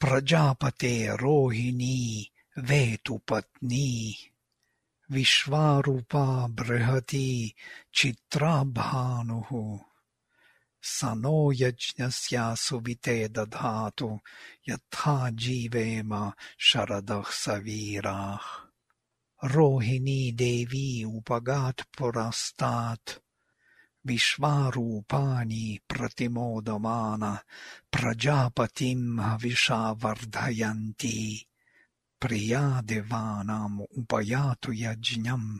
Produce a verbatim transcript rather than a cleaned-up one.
प्रजापते रोहिणी वेतुपत्नी विश्वारूपा बृहती चित्रा भानुः स नो यज्ञस्य सुविते दधातु यथा जीवेम शरदः सवीराः। रोहिणी देवी उपगात् पुरस्तात् विश्वारूपाणि प्रतिमोदमान प्रजापतिं हविषा वर्धयन्ती प्रिया देवानाम् उपयातु यज्ञम्।